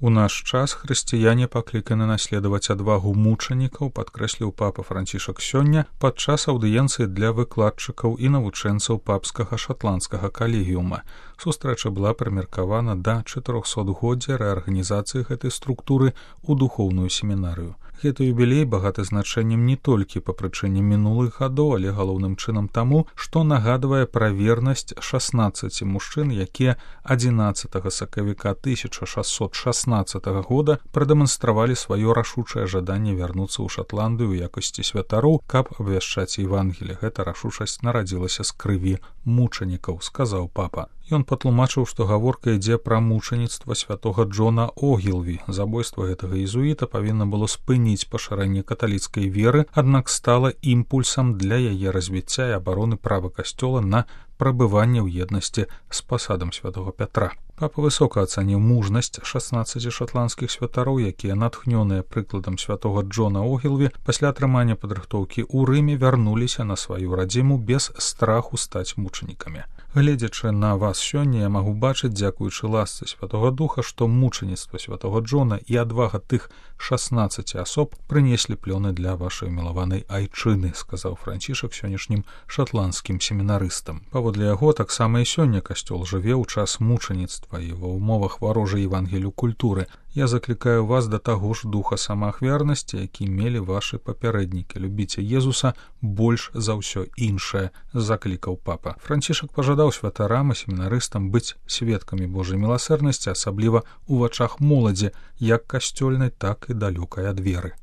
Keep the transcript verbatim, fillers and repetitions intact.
У наш час хрысціяне пакліканы наследаваць адвагу мучанікаў, падкрэсліў папа Францішак сёння падчас аўдыенцыі для выкладчыкаў і навучэнцаў папскага шатландскага калегіума. Сустрэча была прымеркавана да чатырохсотгоддзя рэарганізацыі гэтай структуры ў духоўную семінарыю. Гэты юбілей багаты значэннем не толькі па прычыне мінулых гадоў, але галоўным чынам таму, што нагадвае пра вернасць шаснаццаці мужчын, якія адзінаццатага сакавіка тысяча шасцьсот шаснаццатага года прадэманстравалі сваё рашучае жаданне вярнуцца ў Шатландыю ў якасці святароў, каб абвяшчаць Евангелие. Гэта рашучасць нарадзілася з крыві мучанікаў, сказаў папа. Ён патлумачыў, што гаворка ідзе пра мучаніцтва святога Джона Огілві. Забойства гэтага езуіта павінна было спыніць пашырэнне каталіцкай веры, аднак стала імпульсам для яе развіцця і абароны права касцёла на прабыванне ў еднасці з пасадам святога Пятра. Папа высока ацаніў мужнасць шаснаццаці шатландскіх святароў, якія, натхнёныя прыкладам святога Джона Огілві, пасля атрымання падрыхтоўкі ў Рыме вярнуліся на сваю радзіму без страху стаць мучанікамі. Гледзячы на вас сёння, я магу бачыць, дзякуючы ласцы святога Духа, што мучаніцтва святога Джона і адвага тых шаснаццаці асоб прынеслі плёны для вашай мілаванай айчыны, сказаў Францішак сённяшнім шатландскім семінарыстам. Паводле яго, таксама і сёння касцёл жыве ў час мучаніцтва і ва ўмовах варожай Евангелію культуры. Я заклікаю вас да таго ж духа самаахвярнасці, які мелі вашы папярэднікі. Любіце Езуса больш за ўсё іншае, заклікаў папа. Францішак пажадаў святарам і семінарыстам быць сведкамі Божай міласэрнасці, асабліва ў вачах моладзі, як касцёльнай, так і далёкай ад веры.